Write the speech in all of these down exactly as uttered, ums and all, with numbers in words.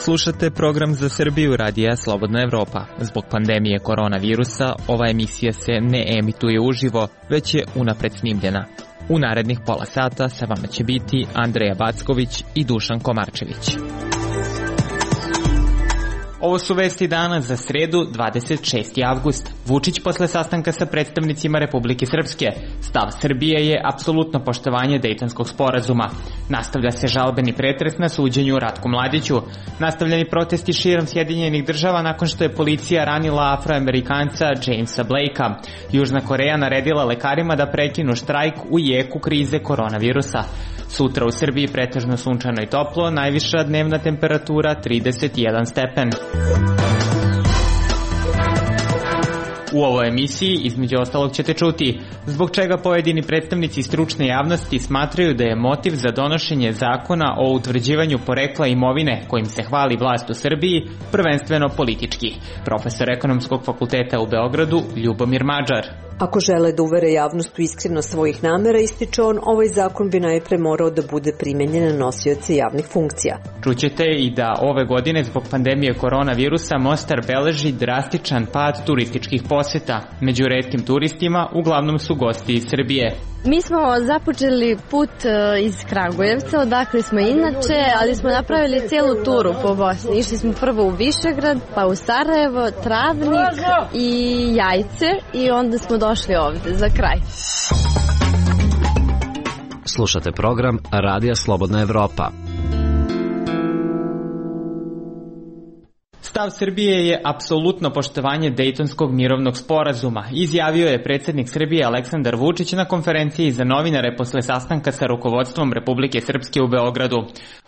Slušate program za Srbiju radija Slobodna Evropa. Zbog pandemije koronavirusa ova emisija se ne emituje uživo, već je unapred snimljena. U narednih pola sata sa vama će biti Andreja Backović i Dušan Komarčević. Ovo su vesti dana za sredu, dvadeset šesti avgust. Vučić posle sastanka sa predstavnicima Republike Srpske. Stav Srbije je apsolutno poštovanje Dejtonskog sporazuma. Nastavlja se žalbeni pretres na suđenju Ratku Mladiću. Nastavljeni protesti širom Sjedinjenih država nakon što je policija ranila Afroamerikanca Jamesa Blakea. Južna Koreja naredila lekarima da prekinu štrajk u jeku krize koronavirusa. Sutra u Srbiji pretežno sunčano i toplo, najviša dnevna temperatura trideset jedan stepen. U ovoj emisiji, između ostalog, ćete čuti zbog čega pojedini predstavnici stručne javnosti smatraju da je motiv za donošenje zakona o utvrđivanju porekla imovine kojim se hvali vlast u Srbiji prvenstveno politički. Profesor Ekonomskog fakulteta u Beogradu Ljubomir Mađar. Ako žele da uvere javnost u iskrenost svojih namera, ističe on, ovaj zakon bi najpre morao da bude primenjen na nosioce javnih funkcija. Čućete i da ove godine zbog pandemije koronavirusa Mostar beleži drastičan pad turističkih poseta. Među retkim turistima uglavnom su gosti iz Srbije. Mi smo započeli put iz Kragujevca, odakle smo inače, ali smo napravili cijelu turu po Bosni. Išli smo prvo u Višegrad, pa u Sarajevo, Travnik i Jajce i onda smo došli ovde za kraj. Slušate program Radija Slobodna Evropa. Stav Srbije je apsolutno poštovanje Dejtonskog mirovnog sporazuma, izjavio je predsjednik Srbije Aleksandar Vučić na konferenciji za novinare posle sastanka sa rukovodstvom Republike Srpske u Beogradu.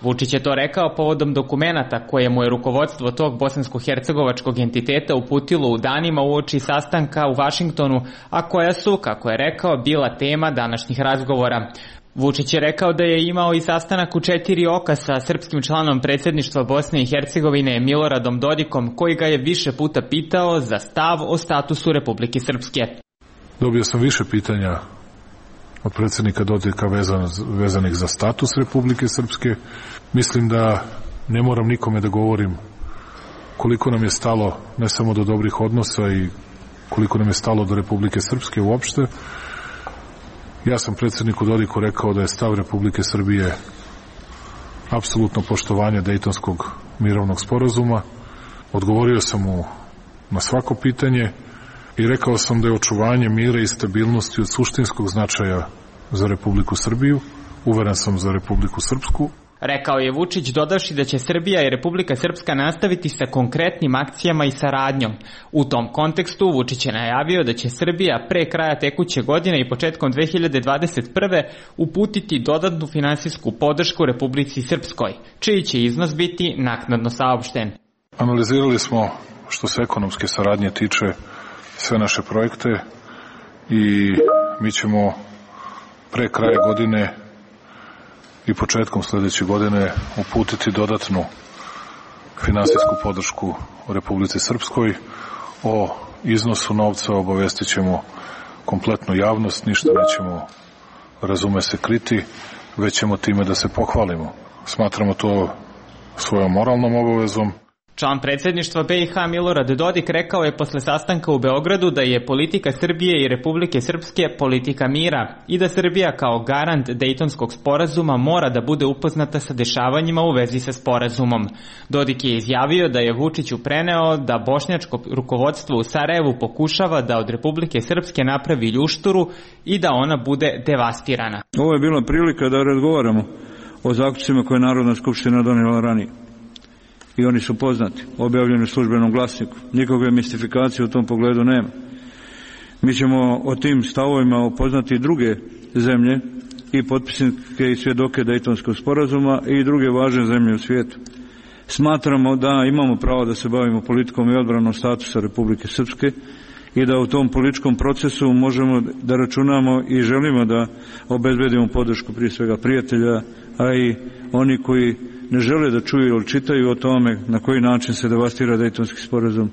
Vučić je to rekao povodom dokumenata koje mu je rukovodstvo tog bosansko-hercegovačkog entiteta uputilo u danima uoči sastanka u Vašingtonu, a koja su, kako je rekao, bila tema današnjih razgovora. Vučić je rekao da je imao i sastanak u četiri oka sa srpskim članom predsjedništva Bosne i Hercegovine Miloradom Dodikom, koji ga je više puta pitao za stav o statusu Republike Srpske. Dobio sam više pitanja od predsjednika Dodika vezan, vezanih za status Republike Srpske. Mislim da ne moram nikome da govorim koliko nam je stalo ne samo do dobrih odnosa i koliko nam je stalo do Republike Srpske uopšte. Ja sam predsjedniku Dodiku rekao da je stav Republike Srbije apsolutno poštovanje Dejtonskog mirovnog sporazuma. Odgovorio sam mu na svako pitanje i rekao sam da je očuvanje mira i stabilnosti od suštinskog značaja za Republiku Srbiju, uveren sam za Republiku Srpsku. Rekao je Vučić, dodavši da će Srbija i Republika Srpska nastaviti sa konkretnim akcijama i saradnjom. U tom kontekstu Vučić je najavio da će Srbija pre kraja tekuće godine i početkom dve hiljade dvadeset prve uputiti dodatnu finansijsku podršku Republici Srpskoj, čiji će iznos biti naknadno saopšten. Analizirali smo, što se ekonomske saradnje tiče, sve naše projekte i mi ćemo pre kraja godine i početkom sljedeće godine uputiti dodatnu finansijsku podršku u Republici Srpskoj. O iznosu novca obavestit ćemo kompletnu javnost, ništa nećemo, razume se, kriti, već ćemo time da se pohvalimo. Smatramo to svojom moralnom obavezom. Član predsjedništva be i ha Milorad Dodik rekao je posle sastanka u Beogradu da je politika Srbije i Republike Srpske politika mira i da Srbija kao garant Dejtonskog sporazuma mora da bude upoznata sa dešavanjima u vezi sa sporazumom. Dodik je izjavio da je Vučiću preneo da bošnjačko rukovodstvo u Sarajevu pokušava da od Republike Srpske napravi ljušturu i da ona bude devastirana. Ovo je bila prilika da razgovaramo o zaključcima koje je Narodna skupština donijela ranije. I oni su poznati, objavljeni u službenom glasniku. Nikakve mistifikacije u tom pogledu nema. Mi ćemo o tim stavovima upoznati druge zemlje i potpisnike i svjedoke Dejtonskog sporazuma i druge važne zemlje u svijetu. Smatramo da imamo pravo da se bavimo politikom i odbranom statusa Republike Srpske i da u tom političkom procesu možemo da računamo i želimo da obezbedimo podršku prije svega prijatelja, a i oni koji ne žele da čuju ili čitaju o tome na koji način se devastira Dejtonski sporazum,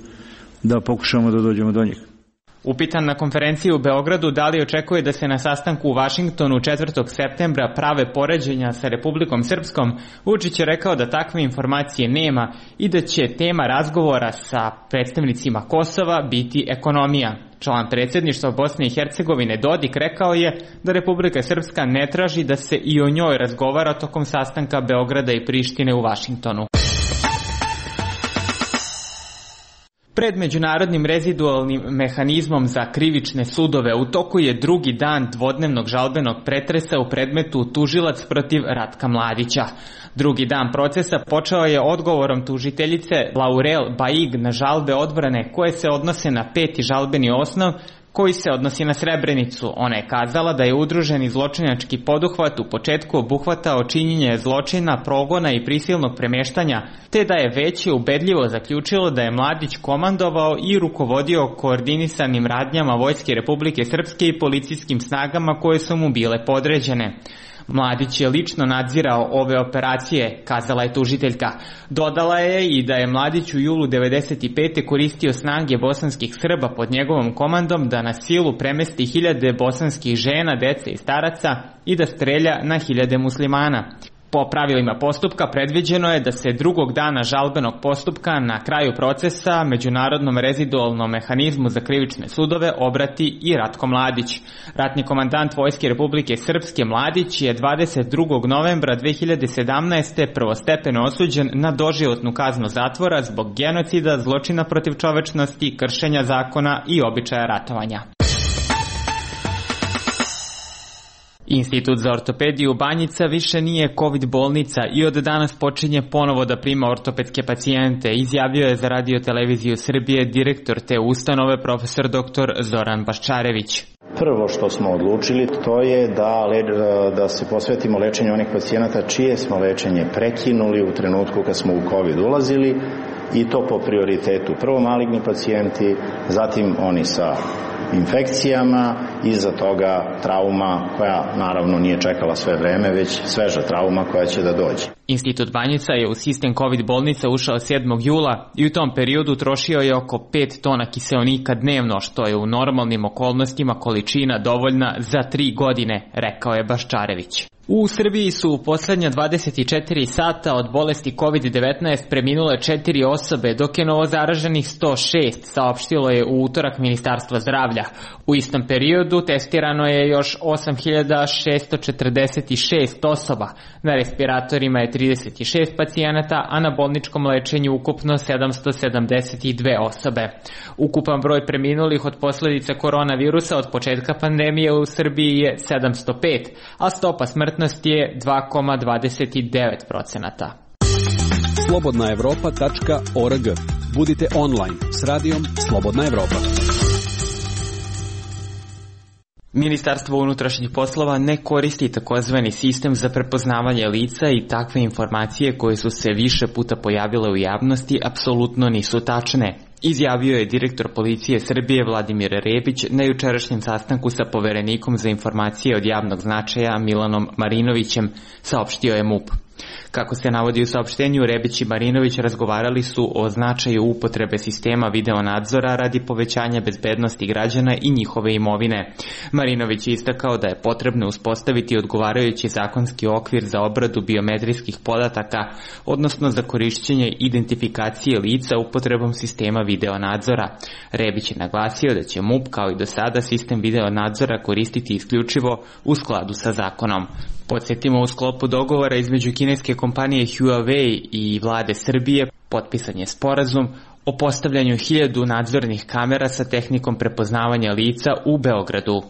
da pokušamo da dođemo do njih. Upitan na konferenciji u Beogradu da li očekuje da se na sastanku u Vašingtonu četvrtog septembra prave poređenja sa Republikom Srpskom, Vučić je rekao da takve informacije nema i da će tema razgovora sa predstavnicima Kosova biti ekonomija. Član predsjedništva Bosne i Hercegovine Dodik rekao je da Republika Srpska ne traži da se i o njoj razgovara tokom sastanka Beograda i Prištine u Vašingtonu. Pred međunarodnim rezidualnim mehanizmom za krivične sudove u toku je drugi dan dvodnevnog žalbenog pretresa u predmetu tužilac protiv Ratka Mladića. Drugi dan procesa počeo je odgovorom tužiteljice Laurel Baig na žalbe odbrane koje se odnose na peti žalbeni osnov koji se odnosi na Srebrenicu. Ona je kazala da je udruženi zločinački poduhvat u početku obuhvatao činjenje zločina, progona i prisilnog premeštanja, te da je veće ubedljivo zaključilo da je Mladić komandovao i rukovodio koordinisanim radnjama Vojske Republike Srpske i policijskim snagama koje su mu bile podređene. Mladić je lično nadzirao ove operacije, kazala je tužiteljka. Dodala je i da je Mladić u julu devedeset pete koristio snage bosanskih Srba pod njegovom komandom da na silu premesti hiljade bosanskih žena, dece i staraca i da strelja na hiljade muslimana. Po pravilima postupka predviđeno je da se drugog dana žalbenog postupka na kraju procesa Međunarodnom rezidualnom mehanizmu za krivične sudove obrati i Ratko Mladić. Ratni komandant Vojske Republike Srpske Mladić je dvadeset drugog novembra dve hiljade sedamnaeste. prvostepeno osuđen na doživotnu kaznu zatvora zbog genocida, zločina protiv čovečnosti, kršenja zakona i običaja ratovanja. Institut za ortopediju Banjica više nije COVID bolnica i od danas počinje ponovo da prima ortopedske pacijente, izjavio je za Radio televiziju Srbije direktor te ustanove profesor doktor Zoran Baščarević. Prvo što smo odlučili to je da, da se posvetimo lečenju onih pacijenata čije smo lečenje prekinuli u trenutku kad smo u COVID ulazili i to po prioritetu. Prvo maligni pacijenti, zatim oni sa infekcijama, iza toga trauma koja naravno nije čekala sve vreme, već sveža trauma koja će da dođe. Institut Banjica je u sistem COVID bolnica ušao sedmog jula i u tom periodu trošio je oko pet tona kiseonika dnevno, što je u normalnim okolnostima količina dovoljna za tri godine, rekao je Baščarević. U Srbiji su u poslednja dvadeset četiri sata od bolesti COVID devetnaest preminule četiri osobe, dok je novozaraženih sto šest, saopštilo je u utorak Ministarstvo zdravlja. U istom periodu testirano je još osam hiljada šesto četrdeset šest osoba, na respiratorima je trideset šest pacijenata, a na bolničkom lečenju ukupno sedamsto sedamdeset dve osobe. Ukupan broj preminulih od posledica koronavirusa od početka pandemije u Srbiji je sedamsto pet, a stopa smrtnosti je dva zarez dvadeset devet procenata. slobodna evropa tačka org. Budite online s radijom Slobodna Evropa. Ministarstvo unutrašnjih poslova ne koristi takozvani sistem za prepoznavanje lica i takve informacije koje su se više puta pojavile u javnosti apsolutno nisu tačne, izjavio je direktor policije Srbije Vladimir Rebić na jučerašnjem sastanku sa poverenikom za informacije od javnog značaja Milanom Marinovićem, saopštio je MUP. Kako se navodi u saopštenju, Rebić i Marinović razgovarali su o značaju upotrebe sistema videonadzora radi povećanja bezbednosti građana i njihove imovine. Marinović je istakao da je potrebno uspostaviti odgovarajući zakonski okvir za obradu biometrijskih podataka, odnosno za korišćenje identifikacije lica upotrebom sistema videonadzora. Rebić je naglasio da će MUP kao i do sada sistem videonadzora koristiti isključivo u skladu sa zakonom. Podsjetimo, u sklopu dogovora između kineske kompanije Huawei i vlade Srbije potpisan je sporazum o postavljanju hiljadu nadzornih kamera sa tehnikom prepoznavanja lica u Beogradu.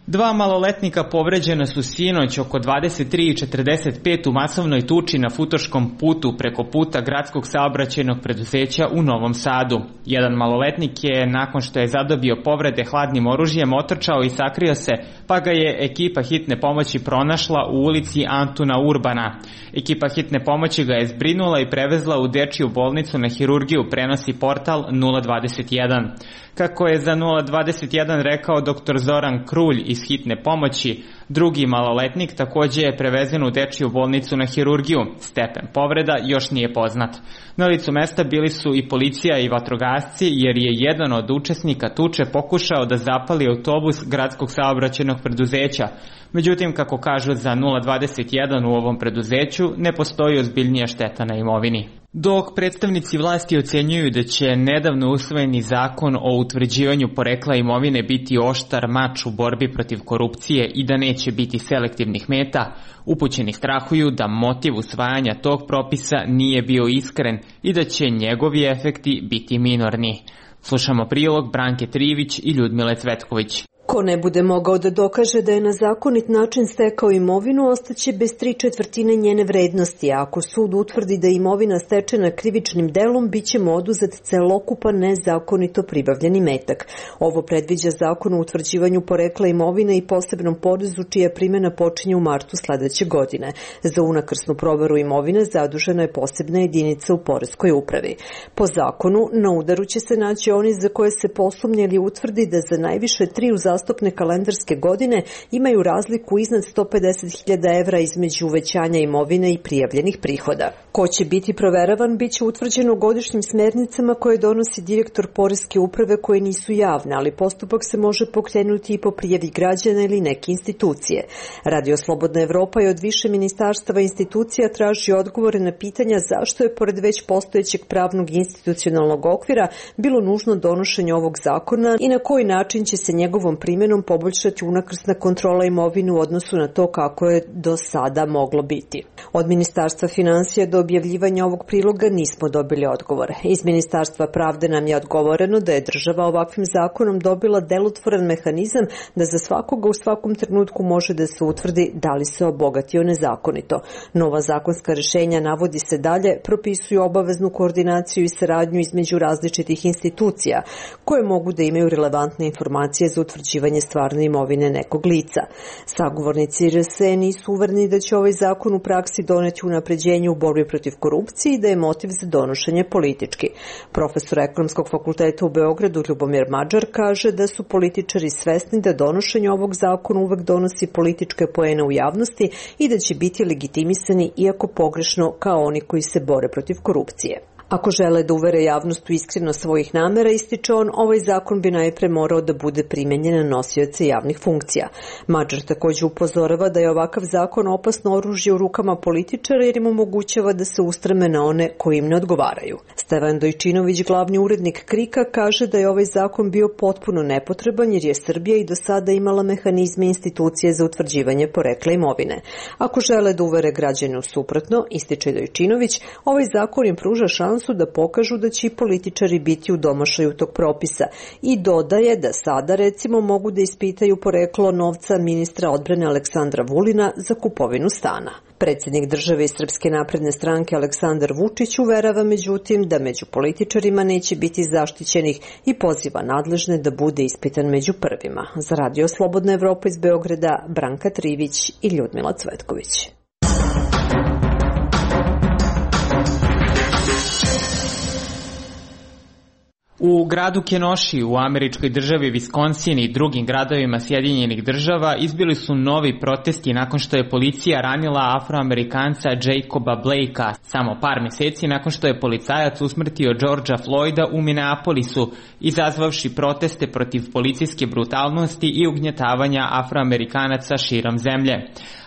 Dva maloletnika povređena su sinoć oko dvadeset tri i četrdeset pet u masovnoj tuči na Futoškom putu preko puta gradskog saobraćajnog preduzeća u Novom Sadu. Jedan maloletnik je, nakon što je zadobio povrede hladnim oružjem, otrčao i sakrio se, pa ga je ekipa hitne pomoći pronašla u ulici Antuna Urbana. Ekipa hitne pomoći ga je zbrinula i prevezla u dečiju bolnicu na hirurgiju, prenosi portal nula dvadeset jedan. Kako je za nula dvadeset jedan rekao doktor Zoran Krulj iz iz hitne pomoći. Drugi maloletnik takođe je prevezen u dečiju bolnicu na hirurgiju. Stepen povreda još nije poznat. Na licu mesta bili su i policija i vatrogasci, jer je jedan od učesnika tuče pokušao da zapali autobus gradskog saobraćajnog preduzeća. Međutim, kako kažu za nula dvadeset jedan u ovom preduzeću, ne postoji ozbiljnija šteta na imovini. Dok predstavnici vlasti ocenjuju da će nedavno usvojeni zakon o utvrđivanju porekla imovine biti oštar mač u borbi protiv korupcije i da neće biti selektivnih meta, upućeni strahuju da motiv usvajanja tog propisa nije bio iskren i da će njegovi efekti biti minorni. Slušamo prilog Branke Trivić i Ljudmile Cvetković. Ko ne bude mogao da dokaže da je na zakonit način stekao imovinu, ostaće bez tri četvrtine njene vrednosti, a ako sud utvrdi da je imovina stečena krivičnim delom, bit će mu oduzet celokupan nezakonito pribavljeni metak. Ovo predviđa zakon o utvrđivanju porekla imovine i posebnom porezu čija primjena počinje u martu sledeće godine. Za unakrsnu proveru imovine zadužena je posebna jedinica u poreskoj upravi. Po zakonu, na udaru će se naći oni za koje se posumnje ili utvrdi da za najviše tri uzastopne Zastupne kalendarske godine imaju razliku iznad sto pedeset hiljada evra između uvećanja imovine i prijavljenih prihoda. Ko će biti proveravan, bit će utvrđeno godišnjim smernicama koje donosi direktor poreske uprave koje nisu javne, ali postupak se može pokrenuti i po prijavi građana ili neke institucije. Radio Slobodna Evropa je od više ministarstava i institucija traži odgovore na pitanja zašto je pored već postojećeg pravnog i institucionalnog okvira bilo nužno donošenje ovog zakona i na koji način će se njegovom primjenom poboljšati unakrsna kontrola imovine u odnosu na to kako je do sada moglo biti. Od Ministarstva finansija do objavljivanja ovog priloga nismo dobili odgovor. Iz Ministarstva pravde nam je odgovoreno da je država ovakvim zakonom dobila delotvoran mehanizam da za svakoga u svakom trenutku može da se utvrdi da li se obogatio nezakonito. Nova zakonska rešenja, navodi se dalje, propisuju obaveznu koordinaciju i saradnju između različitih institucija koje mogu da imaju relevantne informacije za utvrđivanje stvarne imovine nekog lica. Sagovornici R S E nisu uvereni da će ovaj zakon u praksi doneti unapređenje u borbi protiv korupcije i da je motiv za donošenje politički. Profesor Ekonomskog fakulteta u Beogradu Ljubomir Mađar kaže da su političari svesni da donošenje ovog zakona uvek donosi političke poene u javnosti i da će biti legitimisani iako pogrešno kao oni koji se bore protiv korupcije. Ako žele da uvere javnost u iskrenost svojih namera, ističe on, ovaj zakon bi najpre morao da bude primenjen na nosioce javnih funkcija. Mađar takođe upozorava da je ovakav zakon opasno oružje u rukama političara jer im omogućava da se ustreme na one koji im ne odgovaraju. Stevan Dojčinović, glavni urednik Krika, kaže da je ovaj zakon bio potpuno nepotreban jer je Srbija i do sada imala mehanizme institucije za utvrđivanje porekla imovine. Ako žele da uvere građane u suprotno, ističe Dojčinović, ovaj zakon im pruža šansu da pokažu da će i političari biti u domašaju tog propisa i dodaje da sada recimo mogu da ispitaju poreklo novca ministra odbrane Aleksandra Vulina za kupovinu stana. Predsjednik države i Srpske napredne stranke Aleksandar Vučić uverava međutim da među političarima neće biti zaštićenih i poziva nadležne da bude ispitan među prvima. Za Radio Slobodna Evropa iz Beograda, Branka Trivić i Ljudmila Cvetković. U gradu Kenosha u američkoj državi Wisconsin i drugim gradovima Sjedinjenih država izbili su novi protesti nakon što je policija ranila Afroamerikanca Jacoba Blakea samo par meseci nakon što je policajac usmrtio Georgea Floyda u Minneapolisu, izazvavši proteste protiv policijske brutalnosti i ugnjetavanja Afroamerikanaca širom zemlje.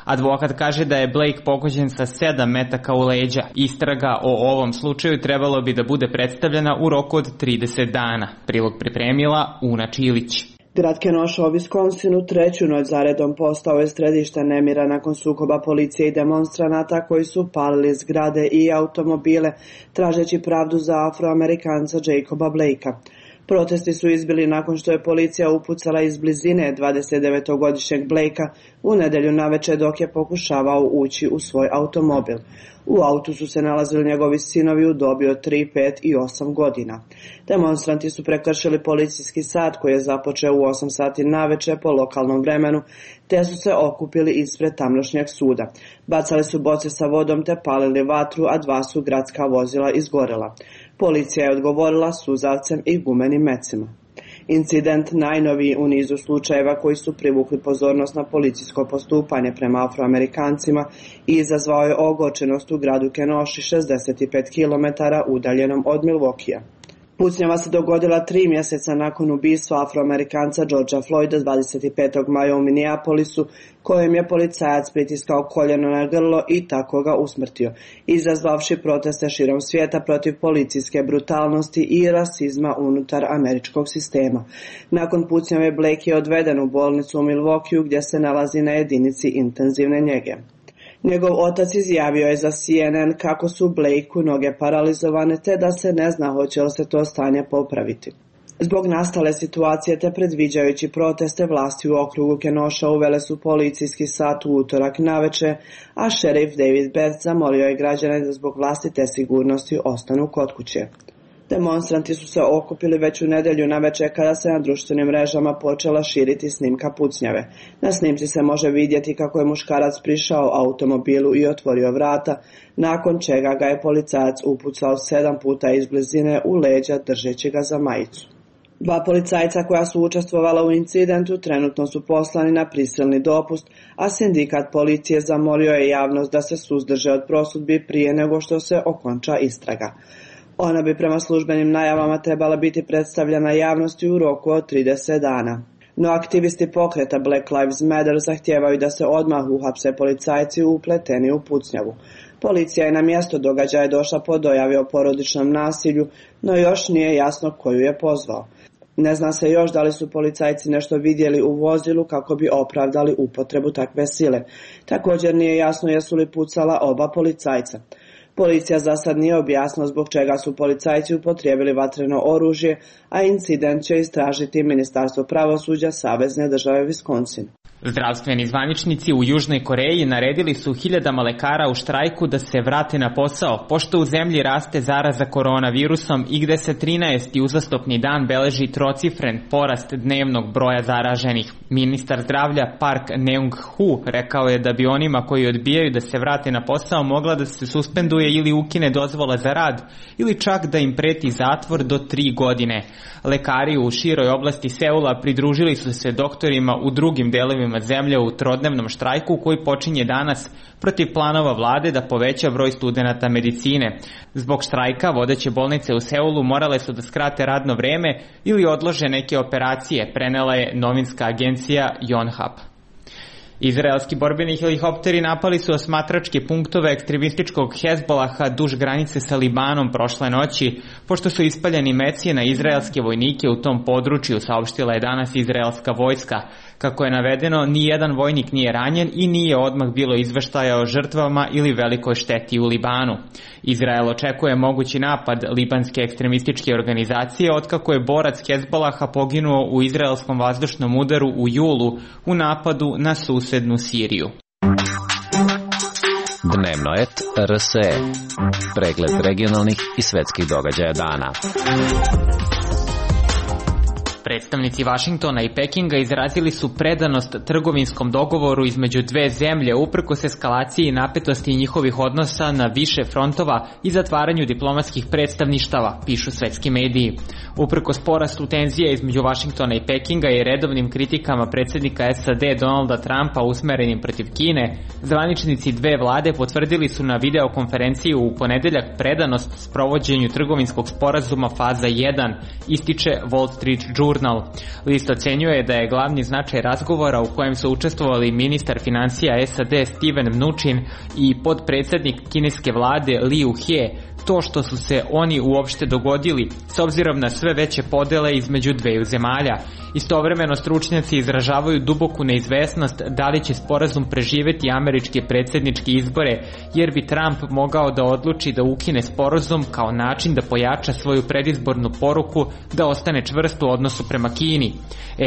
Advokat kaže da je Blake pogođen sa sedam metaka u leđa. Istraga o ovom slučaju trebalo bi da bude predstavljena u roku od trideset dana. Prilog pripremila Una Čilić. Grad Kenosha u Wisconsinu treću noć zaredom postao je središte nemira nakon sukoba policije i demonstranata koji su palili zgrade i automobile, tražeći pravdu za Afroamerikanca Jacoba Blakea. Protesti su izbili nakon što je policija upucala iz blizine dvadesetdevetogodišnjeg Blakea u nedelju naveče dok je pokušavao ući u svoj automobil. U autu su se nalazili njegovi sinovi u dobi od tri, pet i osam godina. Demonstranti su prekršili policijski sat koji je započeo u osam sati naveče po lokalnom vremenu, te su se okupili ispred tamnošnjeg suda. Bacali su boce sa vodom te palili vatru, a dva su gradska vozila izgorela. Policija je odgovorila suzavcem i gumenim mecima. Incident najnoviji u nizu slučajeva koji su privukli pozornost na policijsko postupanje prema Afroamerikancima i izazvao je ogorčenost u gradu Kenosha, šezdeset pet kilometara udaljenom od Milwaukeea. Pucnjava se dogodila tri mjeseca nakon ubistva Afroamerikanca Georgea Floyda dvadeset petog maja u Minneapolisu, kojem je policajac pritiskao koljeno na grlo i tako ga usmrtio, izazvavši proteste širom svijeta protiv policijske brutalnosti i rasizma unutar američkog sistema. Nakon pucnjave Blake je odveden u bolnicu u Milwaukeeu gdje se nalazi na jedinici intenzivne njege. Njegov otac izjavio je za C N N kako su Blakeu noge paralizovane te da se ne zna hoće li se to stanje popraviti. Zbog nastale situacije te predviđajući proteste, vlasti u okrugu Kenosha uvele su policijski sat u utorak naveče, a šerif David Beth zamolio je građane da zbog vlastite sigurnosti ostanu kod kuće. Demonstranti su se okupili već u nedelju naveče kada se na društvenim mrežama počela širiti snimka pucnjave. Na snimci se može vidjeti kako je muškarac prišao automobilu i otvorio vrata, nakon čega ga je policajac upucao sedam puta iz blizine u leđa držeći ga za majicu. Dva policajca koja su učestvovala u incidentu trenutno su poslani na prisilni dopust, a sindikat policije zamolio je javnost da se suzdrže od prosudbi prije nego što se okonča istraga. Ona bi prema službenim najavama trebala biti predstavljena javnosti u roku od trideset dana. No aktivisti pokreta Black Lives Matter zahtijevaju da se odmah uhapse policajci upleteni u pucnjavu. Policija je na mjesto događaja došla po dojavi o porodičnom nasilju, no još nije jasno koju je pozvao. Ne zna se još da li su policajci nešto vidjeli u vozilu kako bi opravdali upotrebu takve sile. Također nije jasno jesu li pucala oba policajca. Policija za sad nije objasnila zbog čega su policajci upotrijebili vatreno oružje, a incident će istražiti Ministarstvo pravosuđa Savezne države Wisconsin. Zdravstveni zvaničnici u Južnoj Koreji naredili su hiljadama lekara u štrajku da se vrate na posao, pošto u zemlji raste zaraza koronavirusom i gde se trinaesti uzastopni dan beleži trocifren porast dnevnog broja zaraženih. Ministar zdravlja Park Neung-hoo rekao je da bi onima koji odbijaju da se vrate na posao mogla da se suspenduje ili ukine dozvola za rad, ili čak da im preti zatvor do tri godine. Lekari u široj oblasti Seula pridružili su se doktorima u drugim delovima zemlje u trodnevnom štrajku koji počinje danas protiv planova vlade da poveća broj studenata medicine. Zbog štrajka vodeće bolnice u Seulu morale su da skrate radno vreme ili odlože neke operacije, prenela je novinska agencija Yonhap. Izraelski borbeni helikopteri napali su osmatračke punktove ekstremističkog Hezbolaha duž granice sa Libanom prošle noći, pošto su ispaljeni meci na izraelske vojnike u tom području, saopštila je danas izraelska vojska. Kako je navedeno, nijedan vojnik nije ranjen i nije odmah bilo izveštaja o žrtvama ili velikoj šteti u Libanu. Izrael očekuje mogući napad libanske ekstremističke organizacije otkako je borac Hezbolaha poginuo u izraelskom vazdušnom udaru u julu u napadu na susednu Siriju. Dnevno et R S E. Pregled regionalnih i svetskih događaja dana. Predstavnici Vašingtona i Pekinga izrazili su predanost trgovinskom dogovoru između dve zemlje uprkos eskalaciji i napetosti njihovih odnosa na više frontova i zatvaranju diplomatskih predstavništava, pišu svetski mediji. Uprkos porastu tenzije između Vašingtona i Pekinga i redovnim kritikama predsjednika S A D Donalda Trumpa usmerenim protiv Kine, zvaničnici dve vlade potvrdili su na videokonferenciji u ponedeljak predanost sprovođenju trgovinskog sporazuma faza jedan, ističe Wall Street Journal. List ocenjuje da je glavni značaj razgovora u kojem su učestvovali ministar financija S A D Steven Mnuchin i podpredsednik kineske vlade Liu He, to što su se oni uopšte dogodili s obzirom na sve veće podele između dveju zemalja. Istovremeno stručnjaci izražavaju duboku neizvesnost da li će sporazum preživeti američke predsjedničke izbore, jer bi Trump mogao da odluči da ukine sporazum kao način da pojača svoju predizbornu poruku da ostane čvrst u odnosu prema Kini.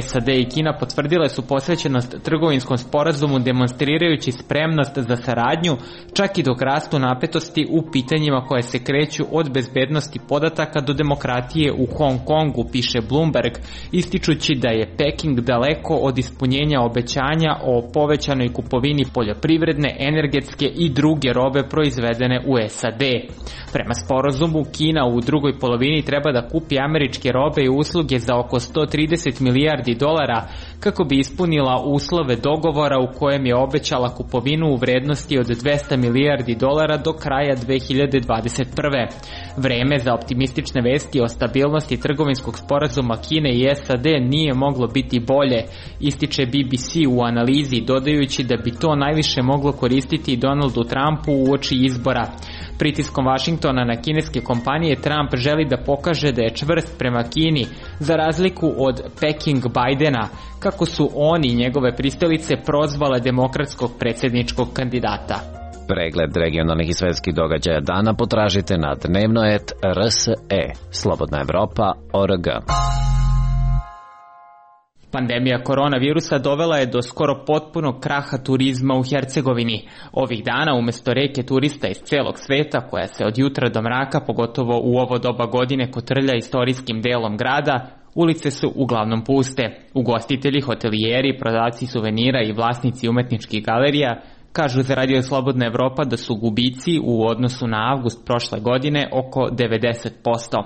S A D i Kina potvrdile su posvećenost trgovinskom sporazumu demonstrirajući spremnost za saradnju, čak i dok rastu napetosti u pitanjima koje se kreću od bezbednosti podataka do demokratije u Hong Kongu, piše Bloomberg, ističući da je Peking daleko od ispunjenja obećanja o povećanoj kupovini poljoprivredne, energetske i druge robe proizvedene u S A D. Prema sporazumu, Kina u drugoj polovini treba da kupi američke robe i usluge za oko sto trideset milijardi dolara kako bi ispunila uslove dogovora u kojem je obećala kupovinu u vrednosti od dvesta milijardi dolara do kraja dve hiljade dvadeset prve. Vreme za optimistične vesti o stabilnosti trgovinskog sporazuma Kine i S A D nije moglo biti bolje, ističe B B C u analizi, dodajući da bi to najviše moglo koristiti Donaldu Trumpu uoči izbora. Pritiskom Vašingtona na kineske kompanije Trump želi da pokaže da je čvrst prema Kini, za razliku od Peking Bidena, kako su oni i njegove pristalice prozvale demokratskog predsjedničkog kandidata. Pregled regionalnih i svetskih događaja dana potražite na dnevno et r s e, Slobodna Evropa, o r g. Pandemija koronavirusa dovela je do skoro potpunog kraha turizma u Hercegovini. Ovih dana umjesto reke turista iz celog sveta, koja se od jutra do mraka, pogotovo u ovo doba godine, kotrlja istorijskim delom grada, ulice su uglavnom puste. Ugostitelji, hotelijeri, prodavci suvenira i vlasnici umetničkih galerija kažu za Radio Slobodna Evropa da su gubici u odnosu na avgust prošle godine oko devedeset posto.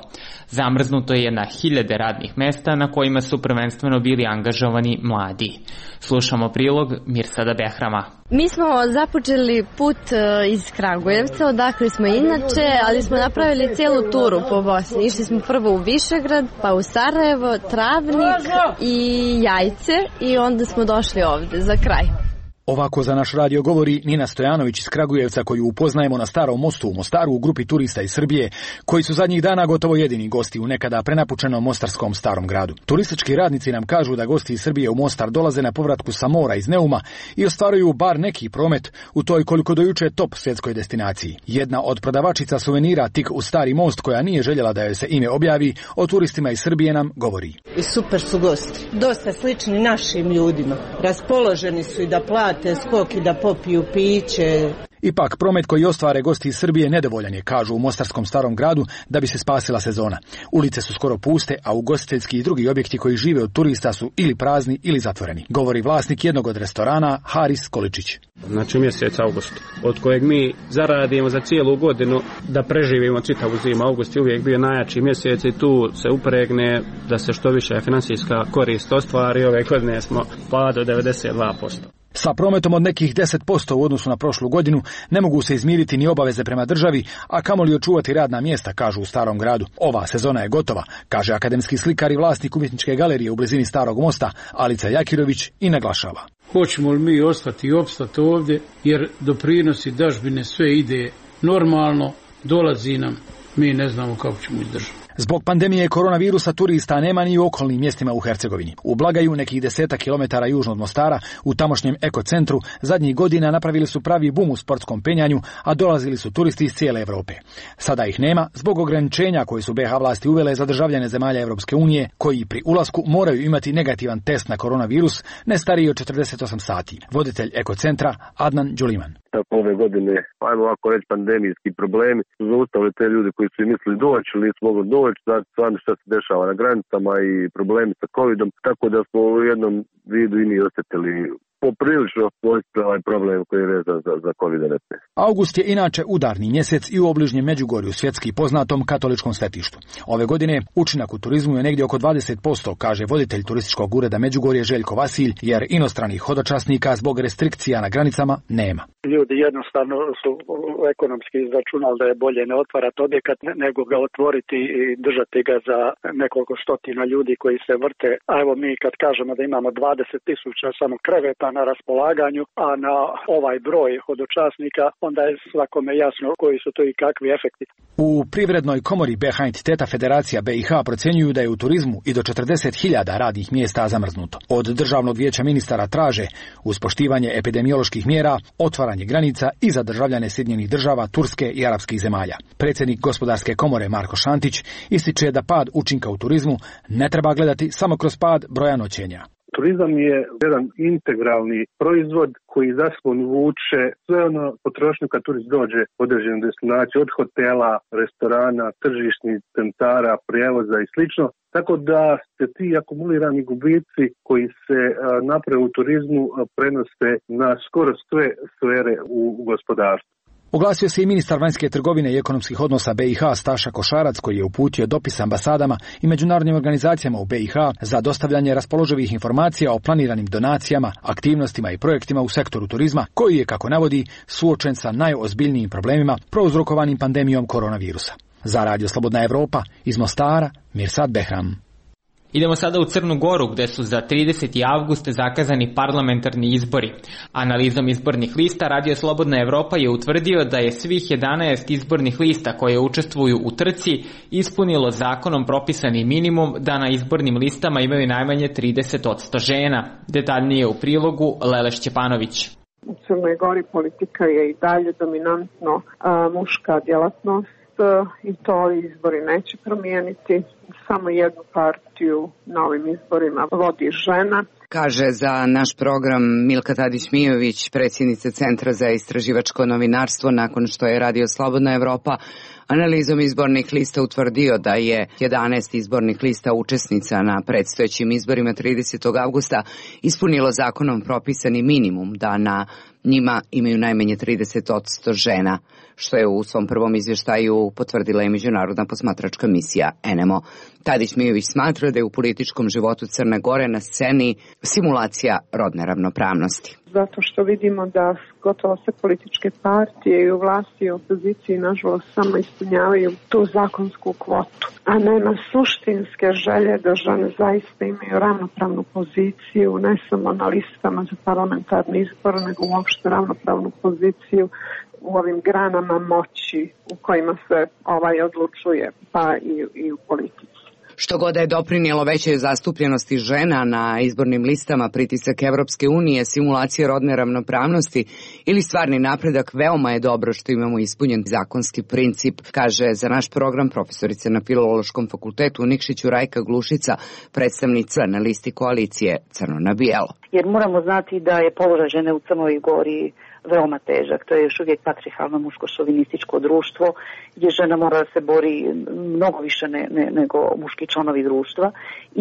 Zamrznuto je na hiljade radnih mesta na kojima su prvenstveno bili angažovani mladi. Slušamo prilog Mirsada Behrama. Mi smo započeli put iz Kragujevca, odakle smo inače, ali smo napravili cijelu turu po Bosni. Išli smo prvo u Višegrad, pa u Sarajevo, Travnik i Jajce i onda smo došli ovde za kraj. Ovako za naš radio govori Nina Stojanović iz Kragujevca, koju upoznajemo na Starom mostu u Mostaru u grupi turista iz Srbije, koji su zadnjih dana gotovo jedini gosti u nekada prenapučenom mostarskom starom gradu. Turistički radnici nam kažu da gosti iz Srbije u Mostar dolaze na povratku sa mora iz Neuma i ostvaruju bar neki promet u toj koliko do juče top svjetskoj destinaciji. Jedna od prodavačica suvenira tik u Stari most, koja nije željela da joj se ime objavi, o turistima iz Srbije nam govori. I super su gosti, dosta slični našim ljudima, raspoloženi su i da plate skok i da popiju piće. Ipak, promet koji ostvare gosti iz Srbije nedovoljan je, kažu u mostarskom starom gradu, da bi se spasila sezona. Ulice su skoro puste, a ugostiteljski i drugi objekti koji žive od turista su ili prazni ili zatvoreni. Govori vlasnik jednog od restorana, Haris Količić. Znači mjesec august, od kojeg mi zaradimo za cijelu godinu da preživimo čitavu zimu. August je uvijek bio najjači mjesec i tu se upregne da se što više financijska korist ostvari. Ove godine smo pa do devedeset dva posto. Sa prometom od nekih deset posto u odnosu na prošlu godinu ne mogu se izmiriti ni obaveze prema državi, a kamoli očuvati radna mjesta, kažu u Starom gradu. Ova sezona je gotova, kaže akademski slikar i vlasnik umjetničke galerije u blizini Starog mosta, Alica Jakirović, i naglašava. Hoćemo li mi ostati i opstati ovdje, jer doprinosi dažbine sve ide normalno, dolazi nam, mi ne znamo kako ćemo izdržati. Zbog pandemije koronavirusa turista nema ni u okolnim mjestima u Hercegovini. U Blagaju, nekih deseta kilometara južno od Mostara, u tamošnjem ekocentru, zadnjih godina napravili su pravi bum u sportskom penjanju, a dolazili su turisti iz cijele Evrope. Sada ih nema zbog ograničenja koje su be ha vlasti uvele za državljane zemalja Evropske unije, koji pri ulasku moraju imati negativan test na koronavirus ne stariji od četrdeset osam sati. Voditelj ekocentra Adnan Đuliman. Ove godine, ajmo ovako reći, pandemijski problemi su zaustavili te ljude koji su mislili doći ili nisu mogli doći, znači stvarno šta se dešava na granicama i problemi sa covidom, tako da smo u jednom vidu i mi osjetili poprilično ovaj problem koji je vezan za, za kovid devetnaest. August je inače udarni mjesec i u obližnjem Međugorju, svjetski poznatom katoličkom svetištu. Ove godine učinak u turizmu je negdje oko dvadeset posto, kaže voditelj turističkog ureda Međugorje Željko Vasilj, jer inostranih hodočasnika zbog restrikcija na granicama nema. Ljudi jednostavno su ekonomski izračunali da je bolje ne otvarati objekat nego ga otvoriti i držati ga za nekoliko stotina ljudi koji se vrte. A evo mi kad kažemo da imamo dvadeset tisuća samo kreveta na raspolaganju, a na ovaj broj hodočasnika, onda je svakome jasno koji su to i kakvi efekti. U Privrednoj komori be ha entiteta Federacija be i ha procjenjuju da je u turizmu i do četrdeset hiljada radnih mjesta zamrznuto. Od Državnog vijeća ministara traže, uz poštivanje epidemioloških mjera, otvaranje granica i za državljane Sjedinjenih država, Turske i arapskih zemalja. Predsjednik Gospodarske komore Marko Šantić ističe da pad učinka u turizmu ne treba gledati samo kroz pad broja noćenja. Turizam je jedan integralni proizvod koji za sobom vuče sve ono potrošnju kad turist dođe u određenu destinaciju, od hotela, restorana, tržišnih centara, prijevoza i slično. Tako da se ti akumulirani gubici koji se naprave u turizmu prenose na skoro sve sfere u gospodarstvu. Oglasio se i ministar vanjske trgovine i ekonomskih odnosa B i H Staša Košarac, koji je uputio dopis ambasadama i međunarodnim organizacijama u B i H za dostavljanje raspoloživih informacija o planiranim donacijama, aktivnostima i projektima u sektoru turizma, koji je, kako navodi, suočen sa najozbiljnijim problemima prouzrokovanim pandemijom koronavirusa. Za Radio Slobodna Evropa, iz Mostara, Mirsad Behram. Idemo sada u Crnu Goru, gde su za trideseti avgust zakazani parlamentarni izbori. Analizom izbornih lista Radio Slobodna Evropa je utvrdio da je svih jedanaest izbornih lista koje učestvuju u trci ispunilo zakonom propisani minimum da na izbornim listama imaju najmanje trideset posto žena. Detaljnije u prilogu Lele Šćepanović. U Crnoj Gori politika je i dalje dominantno a, muška djelatnost i to izbori neće promijeniti. Samo jednu partiju na ovim izborima vodi žena. Kaže za naš program Milka Tadić-Mijović, predsjednica Centra za istraživačko novinarstvo, nakon što je Radio Slobodna Evropa analizom izbornih lista utvrdio da je jedanaest izbornih lista učesnica na predstojećim izborima tridesetog avgusta ispunilo zakonom propisani minimum da na njima imaju najmanje trideset posto žena, što je u svom prvom izvještaju potvrdila i međunarodna posmatračka misija N M O. Tadić-Mijović smatra da je u političkom životu Crne Gore na sceni simulacija rodne ravnopravnosti. Zato što vidimo da gotovo sve političke partije i u vlasti i u opoziciji nažalost samo ispunjavaju tu zakonsku kvotu, a nema suštinske želje da žene zaista imaju ravnopravnu poziciju, ne samo na listama za parlamentarni izbor, nego uopšte ravnopravnu poziciju u ovim granama moći u kojima se ovaj odlučuje, pa i, i u politici. Što god je doprinijelo većoj zastupljenosti žena na izbornim listama, pritisak Evropske unije, simulacije rodne ravnopravnosti ili stvarni napredak, veoma je dobro što imamo ispunjen zakonski princip, kaže za naš program profesorica na Filološkom fakultetu u Nikšiću Rajka Glušica, predstavnica na listi koalicije Crno na bijelo. Jer moramo znati da je položaj žene u Crnoj Gori veoma težak. To je još uvijek patriarhalno muško-šovinističko društvo gdje žena mora da se bori mnogo više ne, ne, nego muški članovi društva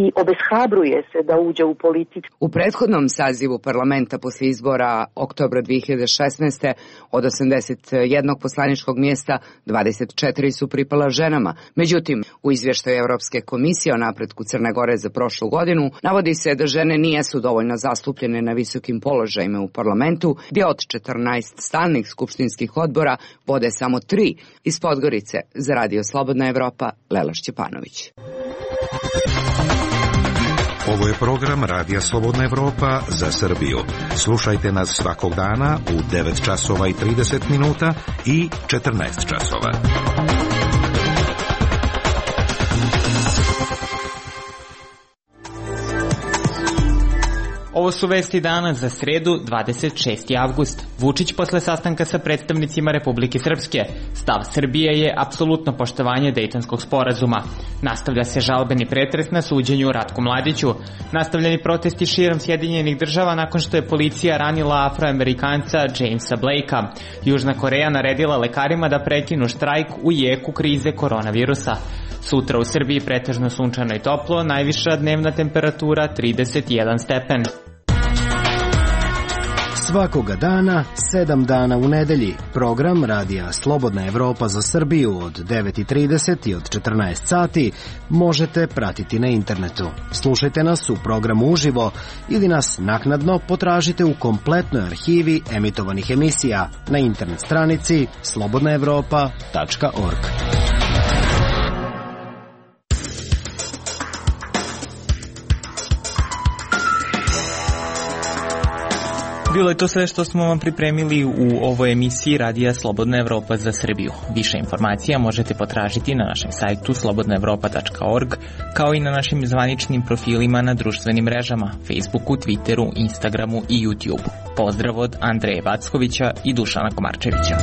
i obeshrabruje se da uđe u politiku. U prethodnom sazivu parlamenta posle izbora oktobra dve hiljade šesnaeste. od osamdeset jednog poslaničkog mjesta dvadeset četiri su pripala ženama. Međutim, u izvještaju Evropske komisije o napretku Crne Gore za prošlu godinu navodi se da žene nijesu dovoljno zastupljene na visokim položajima u parlamentu, gdje od četrnaest stalnih skupštinskih odbora vode samo tri. Iz Podgorice za Radio Slobodna Evropa, Lela Šćepanović. Ovo je program Radija Slobodna Evropa za Srbiju. Slušajte nas svakog dana u devet časova i trideset minuta i četrnaest časova. Ovo su vesti dana za sredu, dvadeset šesti avgust. Vučić posle sastanka sa predstavnicima Republike Srpske. Stav Srbije je apsolutno poštovanje Dejtonskog sporazuma. Nastavlja se žalbeni pretres na suđenju Ratku Mladiću. Nastavljeni protesti širom Sjedinjenih država nakon što je policija ranila Afroamerikanca Jamesa Blakea. Južna Koreja naredila lekarima da prekinu štrajk u jeku krize koronavirusa. Sutra u Srbiji pretežno sunčano i toplo, najviša dnevna temperatura trideset jedan stepen. Svakoga dana, sedam dana u nedelji, program Radija Slobodna Evropa za Srbiju od devet i trideset i od četrnaest sati možete pratiti na internetu. Slušajte nas u programu uživo ili nas naknadno potražite u kompletnoj arhivi emitovanih emisija na internet stranici slobodna evropa tačka org. Bilo je to sve što smo vam pripremili u ovoj emisiji Radija Slobodna Evropa za Srbiju. Više informacija možete potražiti na našem sajtu slobodna evropa tačka org, kao i na našim zvaničnim profilima na društvenim mrežama, Facebooku, Twitteru, Instagramu i YouTubeu. Pozdrav od Andreje Vackovića i Dušana Komarčevića.